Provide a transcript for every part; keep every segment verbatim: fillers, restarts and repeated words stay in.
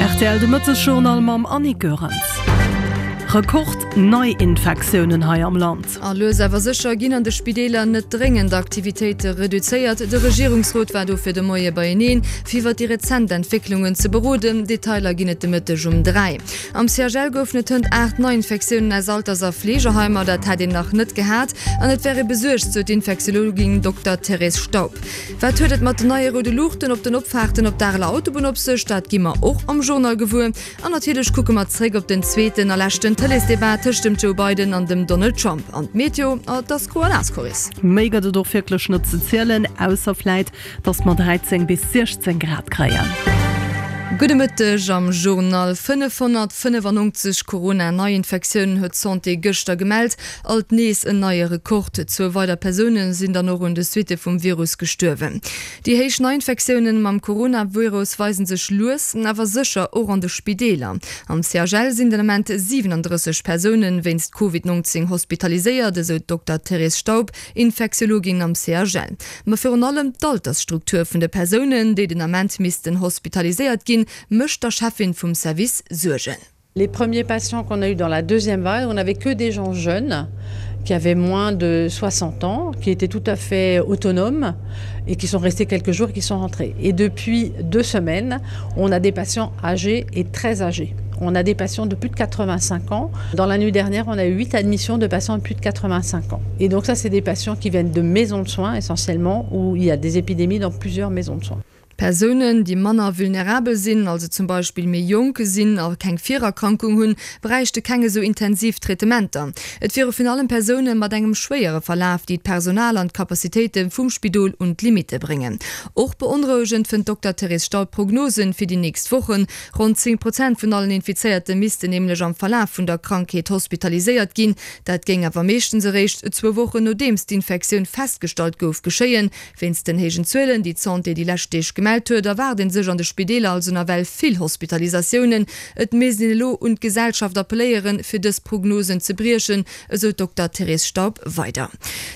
R T L de Mëttesjournal mam Annie Goerens. Rekord-Neiinfektiounen hei am Land. A lues awer sécher ginn an de Spideeler net dréngend Aktivitéite reduzéiert. De Regierungsrot war dofir de Moie beieneen, fir iwwer déi rezent Entwécklungen ze beroden. Detailer ginn et de Mëtteg um dräi. Am C H L goufen et hënt aacht Neiinfektiounen aus Alters a Fleegeheimer. Dat hätt een nach net gehat an et wär ee besuergt, sou d'Infektiologin Dokter Thérèse Staub. Wat huet et mat den neie roude Luuchten op den Opfaarten op d'Areler Autobunn op sech? Dat gi mer och am Journal gewuer. An natierlech kucke mer zréck op den zweeten a leschten Tëleesdebat tëscht dem Joe Biden an dem Donald Trump. An d'Meteo, et ass gro an naass, Coris. Méi gëtt et och wierklech net ze zielen, ausser vläit, dass mer dräizéng bis siechzéng Grad kréien. Gudde Mëtteg am Journal. fënnefhonnertfënnefannonzeg Corona-Neiinfektiounen huet d'Santé gëschter gemellt, alt nees en neie Rekord. Zwou weider Persoune sinn dann och un de Suitte vum Virus gestuerwen. Déi héich Neiinfektiounen mam Coronavirus weisen sech lues awer sécher och an de Spideeler. Am C H L sinn den Ament siwenendrësseg Persoune wéinst Covid nonzéng hospitaliséiert, esou d'Dokter Thérèse Staub, Infektiologin am C H L. Ma virun allem d'Altersstruktur vun de Persounen, déi den Ament missten hospitaliséiert ginn, mécht der Cheffin vum Service Suergen. Les premiers patients qu'on a eu dans la deuxième vague, on n'avait que des gens jeunes qui avaient moins de soixante ans, qui étaient tout à fait autonomes et qui sont restés quelques jours et qui sont rentrés. Et depuis deux semaines, on a des patients âgés et très âgés. On a des patients de plus de quatre-vingt-cinq ans. Dans la nuit dernière, on a eu huit admissions de patients de plus de quatre-vingt-cinq ans. Et donc ça, c'est des patients qui viennent de maisons de soins essentiellement, où il y a des épidémies dans plusieurs maisons de soins. Persounen, déi manner vulnerabel sinn, also zum Beispill méi jonk sinn a keng Virerkrankung hunn, bräichte keng esou intensiv Traitementer. Et wiere virun allem Persoune mat engem schwéiere Verlaf, déi d'Personal an d'Capacitéite vum Spidol un d'Limitte bréngen. Och beonrouegend fënnt d'Dokter Thérèse Staub d'Prognosen fir déi nächst Wochen. Ronn zéng Prozent vun allen Infizéierte missten nämlech am Verlaf vun der Krankheet hospitaliséiert ginn. Dat géing awer meeschtens eréischt zwou Wochen nodeems d'Infektioun festgestallt gouf geschéien. Wéinst den héijen Zuelen, déi d'Santé déi lescht Deeg gemellt huet, erwaart ee sech an de Spideeler also nawell vill Hospitalisatiounen. Et misst een elo un d'Gesellschaft appelléieren, fir dës Prognosen ze briechen, esou d'Dokter Thérèse Staub weider.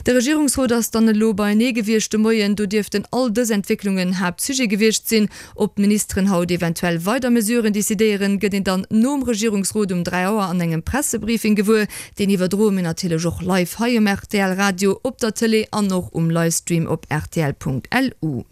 De Regierungsrot ass dann elo beienee gewiescht de Moien. Do dierften all dës Entwécklungen Haaptsujet gewiescht sinn. Ob d'Ministeren haut eventuell weider Mesuren decidéieren, gëtt een dann nom Regierungsrot um dräi Auer an engem Pressebriefing gewuer. Deen iwwerdroe mir natierlech och live hei um R T L Radio, op der Tëlee an och um Livestream op rtl Punkt L U.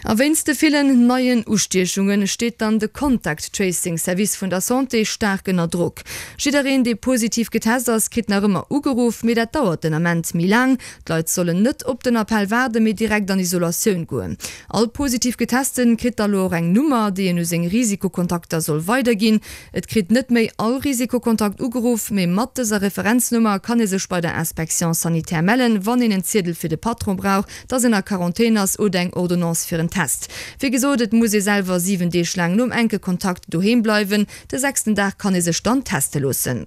A wéinst de villen neien Ustiechunge steet dann de Contact Tracing Service vun der Santé staark ënner Drock. Jiddereen, dee positiv getest ass, kritt nach ëmmer ugeruff, mee dat dauert den Ament méi laang. D'Leit sollen net op den Appell waarden, mee direkt an Isolatioun goen. All positiv Getesten kritt da lo och eng Nummer, déi en u seng Risikokontakter soll weiderginn. Et kritt net méi all Risikokontakt ugeruff, mee mat dëser Referenznummer kann ee sech bei der Inspection sanitaire mellen, wann een en Ziedel fir de Patron brauch, dass een a Quarantän ass oder eng Ordonnance fir en Test. Wéi gesot, et muss ee selwer siwen Deeg laang nom enke Kontakt doheem bleiwen. De sechsten Dag kann ee sech dann teste loossen.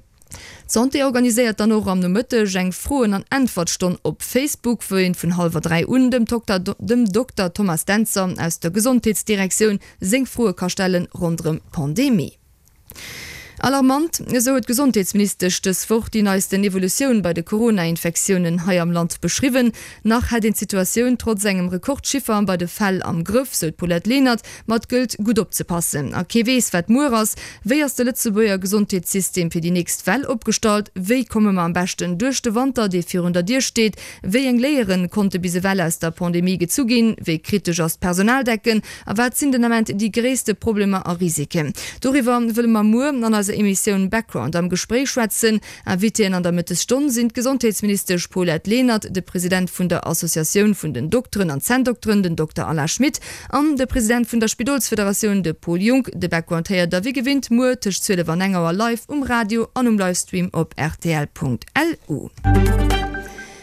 D'Santé organiséiert dann och am Nomëtteg eng Froen an Äntwertstonn op Facebook, wou een vun hallwer dräi un dem Dokter dem Dokter Thomas Dentzer aus der Gesondheetsdirektioun seng Froe ka stellen ronderëm d'Pandemie. Alarmant, esou huet d'Gesondheetsministesch dës Woch déi neisten Evolutioun bei de Corona-Infektiounen hei am Land beschriwwen. Nach hätt een d'Situatioun trotz engem Rekordchiffer bei de Fäll am Grëff, sou d'Paulette Lenert, ma et gëllt gutt opzepassen. A kee weess, wat muer ass. Wéi ass de Lëtzebuerger Gesondheetssystem fir déi nächst Well opgestallt? Wéi komme mer am beschten duerch de Wanter, dee virun der Dier steet? Wéi eng Léiere konnte bis ewell aus der Pandemie gezu ginn? Wéi kritesch ass d'Personaldecken? A wat sinn den Ament déi gréisste Problemer a Risiken? Doriwwer wëlle mer muer an eiser Emissioun Background am Gespréich schwätzen. Invitéen an der Mëttesstonn sinn d'Gesondheetsministesch Paulette Lenert, de President vun der Associatioun vun den Dokteren an Zänndokteren, den Dokter Alain Schmit, an de President vun der Spidolsfederatioun, de Paul Junck. De Background héiert der wéi gewinnt muer tëscht zwielef an eng Auer live um Radio an um Livestream op R T L Punkt L U.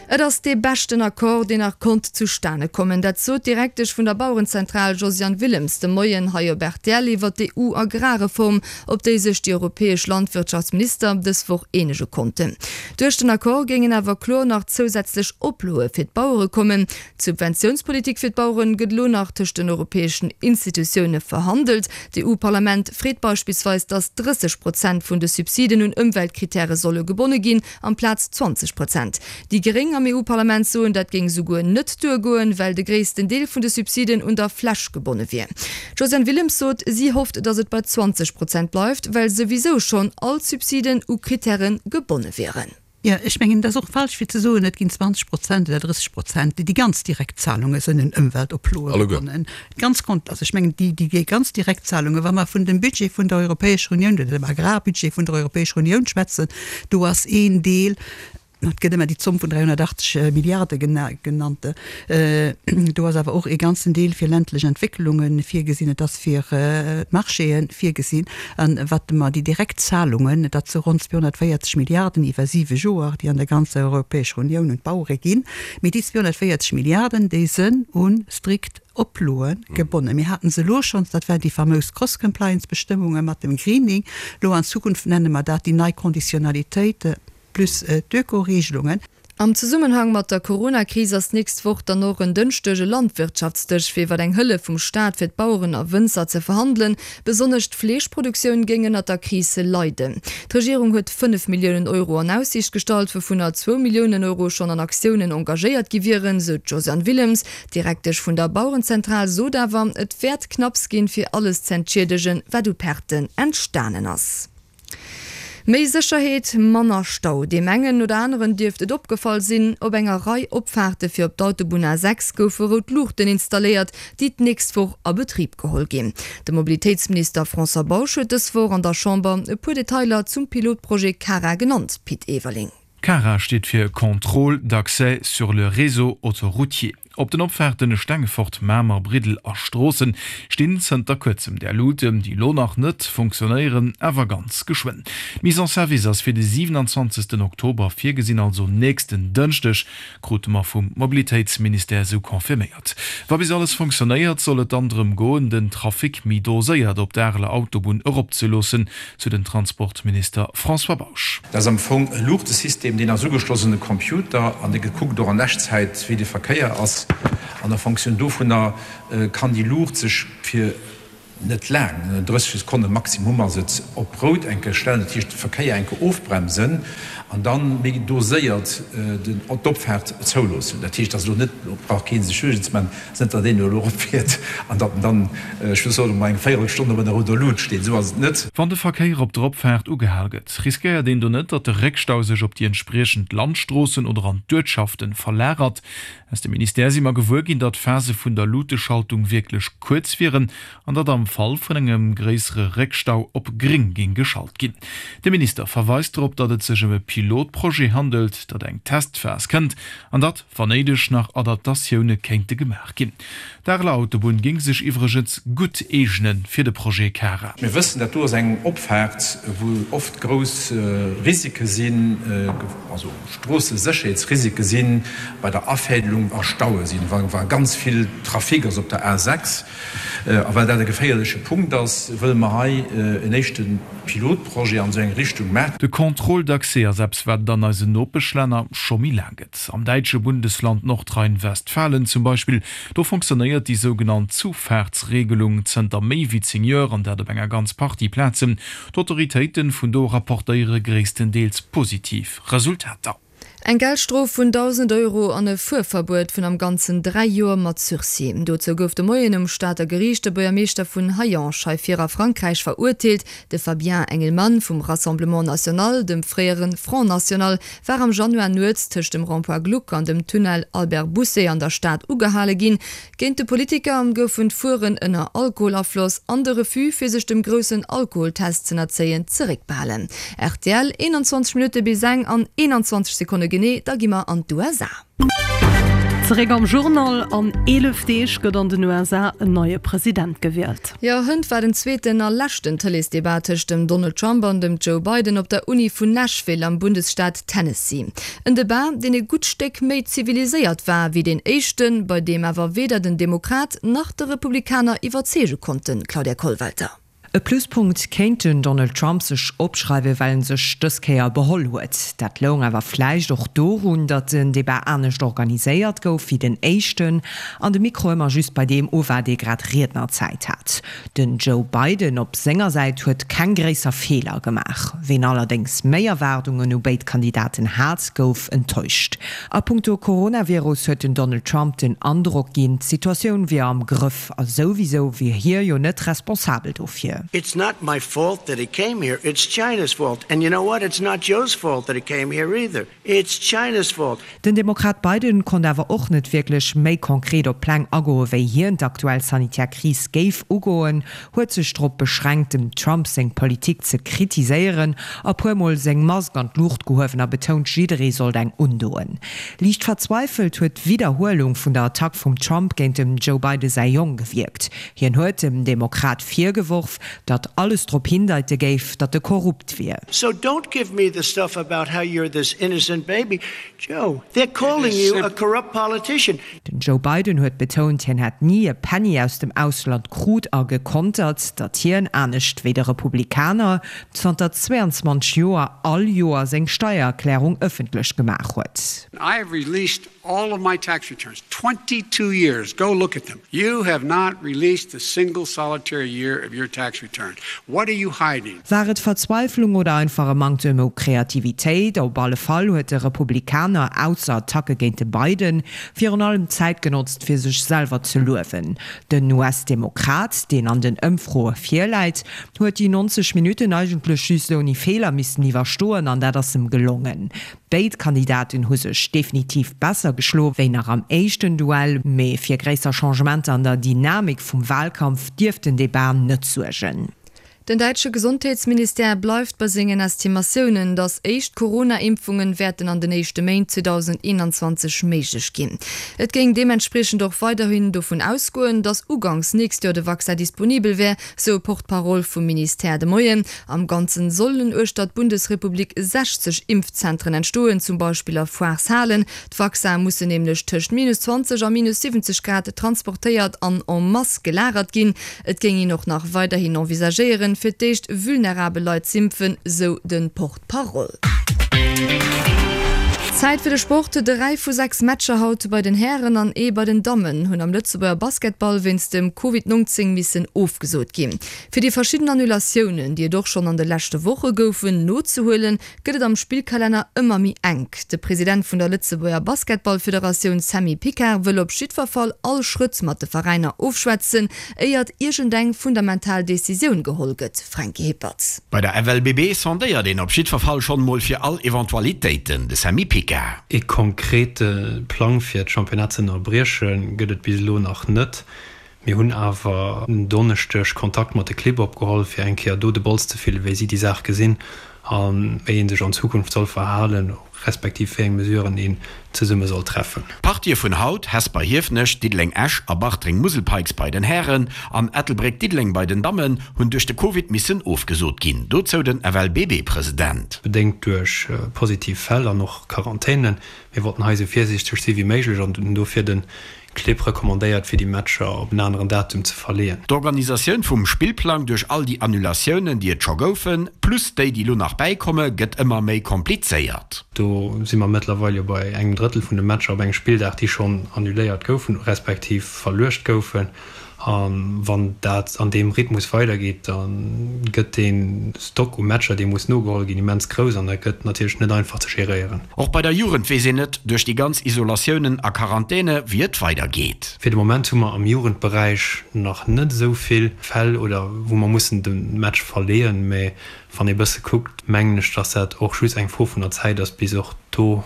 Et ass dee beschten Accord, deen nach konnt zustane kommen. Dat sot d'Direktesch vun der Bauerenzentral Josiane Willems de Moien hei op R T L iwwer d'E U-Agrarreform, op déi sech déi europäesch Landwirtschaftsminister dës Woch eenege konnten. Duerch den Accord géingen awer kloer nach zousätzlech Oploe fir d'Bauere kommen. D'Subventiounspolitik fir d'Baueren gëtt elo nach tëscht den europäeschen Institutioune verhandelt. D'E U-Parlament freet beispillsweis, datt drësseg Prozent vun de Subsiden un Ëmweltkrittäre solle gebonne ginn, amplaz zwanzeg Prozent. Déi Gréng Gréng am EU-Parlament soen, dat géing souguer net duergoen, well de gréissten Deel vun de Subsiden un der Fläch gebonne wier. D'Josiane Willems sot, si hofft, datt et bei zwanzeg Prozent bleift, well souwisou schonn all d'Subsiden u Krittäre gebonne wieren. Jo, ech mengen, et ass och falsch fir ze soen, et ginn zwanzeg Prozent oder drësseg Prozent, déi ganz Direktzahlunge sinn un Ëmweltoploe gebonnen. Ganz kont, also ech mengen, déi, déi ganz Direktzahlunge, wa mer vun dem Budget vun der Europäescher Unioun oder dem Agrarbudget vun der Europäescher Unioun schwätzen, do ass een Deel, Et gëtt ëmmer déi Zomm vun dräihunnertachtzeg Milliarde genannt. Do ass awer och ee ganzen Deel fir ländlech Entwécklunge virgesinn, et ass fir d'Marchéë virgesinn. A wat mer déi direkt Zahlungen, dat si ronn zweehonnertvéierzeg Milliarden iwwer siwe Joer, déi an der ganzer Europäescher Unioun un d'Bauere ginn. Mee déi zweehonnertvéierzeg Milliarden, déi sënn u strikt Oploe gebonnen. Mir haten se elo schonns, dat waren déi famous Cross-Compliance-Bestëmmunge mat dem Greening. Elo an Zukunft nenne mer dat déi nei Conditionnalitéite. Plus d'Öko-Regelungen. Am Zesummenhang mat der Corona-Kris ass d'nächst Woch dann och en Dënschdeg e Landwirtschaftsdësch, fir iwwer eng Hëllef vum Staat fir d'Baueren a Wënzer ze verhandelen. Besonnesch d'Fleeschproduktioun géing ënnert der Kris leiden. D'Regierung huet fënnef Milliounen Euro an Aussiicht gestallt, wouvunner zwou Milliounen Euro schonn an Aktiounen engagéiert gi wieren, sou d'Josiane Willems. D'Direktesch vun der Bauerenzentral sot awer, et wäert knapps ginn, fir alles z'entschiedegen, wat u Perten entstanen ass. Méi Sécherheet, manner Stau. Deem engen oder aneren dierft et opgefall sinn, op enger Rei Opfaarte fir op d'Autobunn A sechs goufe rout Luuchten installéiert, déi d'nächst Woch a Betrib geholl ginn. De Mobilitéitsminister François Bausch huet dës Woch an der Chamber e puer Detailer zum Pilotprojet CARA genannt. Pit Everling. CARA steet fir Contrôle d'accès sur le réseau autoroutier. Op den Opfaarten Stengefort, Mamer, Briddel a Stroossen stinn zënter kuerzem där Luuten, déi elo nach net funktionéieren, awer ganz geschwënn. D'Mise en service ass fir de siwenanzwanzegsten Oktober virgesinn, also nächsten Dënschdeg, krute mer vum Mobilitéitsministère esou confirméiert. Wa bis alles funktionéiert, soll et dann drëm goen, den Trafic méi doséiert op d'Areler Autobunn eropzeloossen, sou den Transportminister François Bausch. Dat ass am Fong e Luuchtesystem, deen ass ugeschloss un de Computer an dee kuckt och an Echtzäit, wéi de Verkéier ass. An a Fonctioun dovunner kann déi Luucht sech fir net laang, drësseg Sekonne maximum ass et, op rout eng Kéier stellen, dat heescht de Verkéier eng Kéier ofbremsen an da méi doséiert d'Opfaart zouloossen. Dat heescht, dass elo net, do brauch kee sech Suergen ze maachen, et ass net, datt een elo eropfiert an datt en dann, ech soen emol, eng Véierelstonn op enger rouder Lut steet. Esou ass et net. Wann de Verkéier op der Opfaart ugehal gëtt, riskéiert een do net, datt de Réckstau sech op déi entspriechend Landstroossen oder an d'Uertschaften verlagert? Aus dem Ministère si mer gewuer ginn, datt d'Phase vun der Luuteschaltung wierklech kuerz wieren an datt am Fall vun engem gréissere Réckstau op gréng géing geschalt ginn. De Minister verweist drop, datt et sech ëm e Pilotprojet handelt, datt eng Testphas kënnt an datt, wann néideg, nach Adaptatioune kéinte gemaach ginn. D'Areler Autobunn géing sech iwwregens gutt eegene fir de Projet CARA. Mir wëssen, dat do ass eng Opfaart, wou oft grouss Risike sinn, also Stroossesécherheetsrisike sinn bei der Afädelung a Staue sinn, wa ganz vill Trafic ass op der A sechs. A well dat e geféierleche Punkt ass, wëlle mer hei en éischte Pilotprojet an esou eng Richtung maachen. De Contrôle d'accès ass eppes, wat et an eisen Nopeschlänner scho méi laang gëtt. Am däitsche Bundesland Nordrhein-Westfalen zum Beispill, do fonctionnéiert déi sougenannt Zufahrtsregelung zënter méi wéi zéng Joer, an dat op enger ganz Partie Plazen. D'Autoritéite vun do rapportéiere gréisstendeels positiv Resultater. Eng Geldstrof vun dausend Euro an e Fuerverbuet vun am Ganzen dräi Joer mat Sursis. Dozou gouf de Moien um Stater Geriicht de Buergermeeschter vun Hayange hei vir a Frankräich verurteelt. De Fabien Engelmann vum Rassemblement National, dem fréiere Front National, war am Januar nuets tëscht dem Rond-point Gluck an dem Tunnel Albert Bousset an der Stad ugehale ginn. Géint de Politiker goufen d'Fueren ënner Alkoholafloss an de Refus, fir sech dem groussen Alkoholtest z'ënnerzéien, zeréckbehalen. Rtl, eenanzwanzeg Minutte bis eng an eenanzwanzeg Sekonne genee, da gi mer an d'USA. Zeréck am Journal, An eelef Deeg gëtt an den U S A en neie President gewielt. Jo, hënt war den zweeten a leschten Tëleesdebat tëscht dem Donald Trump an dem Joe Biden op der Uni vun Nashville am Bundesstaat Tennessee. En Debat, deen e gutt Stéck méi ziviliséiert war wéi deen éischten, bei deem awer weder den Demokrat nach de Republikaner iwwerzeege konnten, Claudia Kollwelter. E Pluspunkt kéint den Donald Trump sech opschreiwen, well en sech dës Kéier beholl huet. Dat loung awer vläicht och dorun, datt den Debat anescht organiséiert gouf wéi den éischten an de Mikro ëmmer just bei deem u war, dee grad Riednerzäit hat. Den Joe Biden op senger Säit huet keng gréisser Feeler gemaach. Ween allerdéngs méi Erwaardungen u béid Kandidaten hat, gouf enttäuscht. A punkto Coronavirus huet den Donald Trump den Androck ginn, d'Situatioun wier am Grëff a souwisou wier hie jo net responsabel dofir. It's not my fault that it came here, it's China's fault. And you know what, it's not Joe's fault that it came here either, it's China's fault. Den Demokrat Biden konnt awer och net wierklech méi konkret op Pläng agoen, wéi hien d'aktuell sanitär Kris géif ugoen, huet sech drop beschränkt, dem Trump seng Politik ze kritiséieren a puer Mol seng Mask an d'Luucht gehuewen a betount, jidderee sollt eng undoen. Liicht verzweifelt huet d'Widderhuelung vun der Attack vum Trump géint dem Joe Biden säi Jong gewierkt. Hien huet dem Demokrat virgeworf, datt alles drop hindeite géif, datt e korrupt wier. So don't give me the stuff about how you're this innocent baby, Joe, they're calling you a corrupt politician. Den Joe Biden huet betount, hien hätt ni e Penny aus dem Ausland krut a gekontert, datt hien, anescht wéi de Republikaner, zanter zweiundzwanzeg Joer all Joer seng Steiererklärung ëffentlech gemaach huet. I have released all of my tax returns, twenty two years, go look at them. You have not released a single solitary year of your tax return. What are you hiding? War et Verzweiflung oder einfach e Manktem u Kreativitéit? Op alle Fall huet de Republikaner, ausser Attacke géint de Biden, virun allem d'Zäit genotzt fir sech selwer ze luewen. Den U S-Demokrat, deen an den Ëmfroe virläit, huet déi neunzeg Minutten eigentlech just ouni Feeler missen iwwerstoen an dat ass em gelongen. Béid Kandidaten hu sech definitiv besser geschloe wéi nach am éischten Duell, mee fir gréisser Changementer an der Dynamik vum Walkampf dierft den Debat net suergen. Den däitsche Gesondheetsministère bleift bei sengen Estimatiounen, datt éischt Corona-Impfungen wäerten an den éischte Méint zweedausendeenanzwanzeg méiglech ginn. Et géing deementspriechend och weiderhin dovun ausgoen, datt uganks nächst Joer de Vaccin disponibel wär, sou e Porte-parole vum Ministère de Moien. Am Ganzen sollen uechter d'Bundesrepublik sechzeg Impfzentren entstoen, zum Beispill a Foireshalen. D'Vaccine mussen nämlech tëscht minus zwanzeg a minus siwwenzeg Grad transportéiert an en masse gelagert ginn. Et géing een och nach weiderhin envisagéieren, fir d'éischt vulnerabel Leit z'impfen, sou de Porte-parole. Zäit fir de Sport, Dräi vu sechs Matcher haut bei den Hären an ee bei den Dammen hunn am Lëtzebuerger Basketball wéinst dem Covid neunzéng missen ofgesot ginn. Fir déi verschidden Annulatiounen, déi et och schonn an de leschte Woche goufen, nozehuelen, gëtt et am Spillkalenner ëmmer méi enk. De President vun der Lëtzebuerger Basketballfederatioun Sammy Picard wëll op jiddwer Fall all Schrëtt mat de Veräiner ofschwätzen, éiert iergendeng fundamental Decisioun geholl gëtt. Franky Hippert. Bei der F L B B sondéiert een op jiddwer Fall schonn emol fir all Eventualitéiten, de Sammy Picard. E konkrete Plang fir d'Championnat ze ënnerbrieche gëtt et bis elo nach net. Mir hunn awer en Donneschdeg Kontakt mat de Clibb opgeholl, fir eng Kéier do de Bols ze fillen, wéi si déi Saach gesinn a wéi ee sech an Zukunft soll verhalen, respektiv wéi eng Mesuren een zesumme soll treffen. D'Partië vun haut, Hesper Hiefenech, Diddeleng Esch a Bartreng Musel Pikes bei den Hären an Ettelbréck Diddeleng bei den Dammen hunn duerch de Covid missen ofgesot ginn. Dozou den F L B B President. Bedéngt duerch positiv Fäll an och Quarantänen. Mir wollten hei esou virsiichteg si wéi méiglech an hunn dofir de Clibb recommandéiert, fir déi Matcher op en aneren Datum ze verleeën. D'Organisatioun vum Spillplang duerch all déi Annulatiounen, déi et scho goufen, plus déi, déi elo nach bäikomme, gëtt ëmmer méi komplizéiert. Do si mer mëttlerweil jo bei engem Drëttel vun de Matcher op engem Spilldag, déi schonn annuléiert goufen, respektiv verluecht goufen. A wann dat an deem Rhythmus weidergeet, da gëtt dee Stock u Matcher, dee muss nogeholl ginn, immens grouss an dat gëtt natierlech net einfach ze geréieren. Och bei der Jugend weess een net duerch déi ganz Isolatiounen a Quarantäne wéi et weidergeet. Fir de Moment hu mer am Jugendberäich nach net esou vill Fäll oder wou mer mussen de Match verleeën, mä wann ee bësse kuckt, mengen ech, dass dat och just eng Fro vun der Zäit ass, bis och do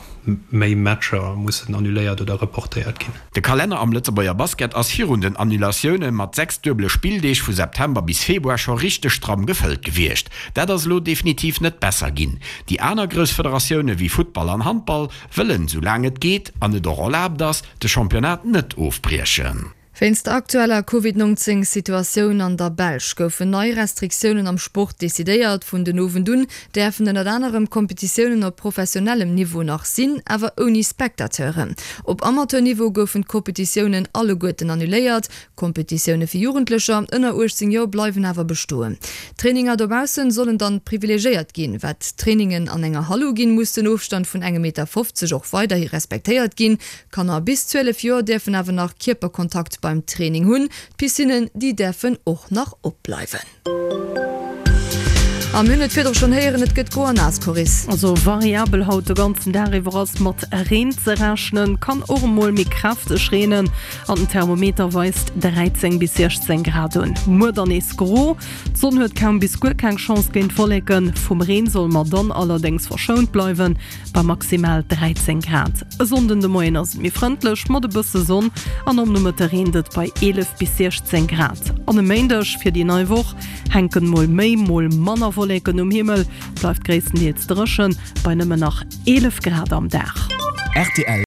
méi Matcher mussen annuléiert oder reportéiert ginn. De Kalenner am Lëtzebuerger Basket ass virun den Annulatioune mat sechs duebele Spilldeeg vu September bis Februar scho richteg stramm gefëllt gewiescht. Dat ass elo definitiv net besser ginn. Déi aner grouss Federatioune wéi Futtball an Handball wëllen, soulaang et geet an et och erlaabt ass, de Championnat net ofbriechen. Wéinst der aktueller Covid neunzéng Situatioun an der Belsch goufen nei Restriktiounen am Sport decidéiert. Vun den Owend un däerfen ënnert anerem Kompetitiounen op professionellem Niveau nach sinn, awer ouni Spectateuren. Op Amateur-Niveau goufen d'Kompetitiounen alleguerten annuléiert. Kompetitioune fir Jugendlecher ënner uechtzéng Joer bleiwen awer bestoen. Traininger dobaussen sollen dann privilegiéiert ginn. Wat Trainingen an enger Hall uginn, muss den Ofstand vun engem Meter fofzeg och weiderhi respektéiert ginn. Kanner bis zwielef Joer däerfen awer nach Kierperkontakt beim Training hunn. D'Piscinnen, déi däerfen och nach opbleiwen. A mir hunn et virdru schonn héieren, et gëtt gro an naass, Coris. Also variabel haut de ganzen Dag iwwer ass mat Reen ze rechnen, kann och emol méi kräfteg reenen an den Thermometer weist dräizéng bis siechzéng Grad un. Muer dann nees gro, d'Sonn huet kaum bis guer keng Chance géint d'Wolleken. Vum Reen solle mer dann allerdéngs verschount bleiwen, bei maximal dräizéng Grad. E Sonnden de Moien ass et méi frëndlech mat e bësse Sonn an am Nomëtte reent et bei eelef bis siechzéng Grad. An e Méindeg fir déi nei Woch hänken mol méi, mol manner Wolleken um Himmel, bleift gréisstendeels dréchen bei nëmmen nach eelef Grad am Dag. Rtl.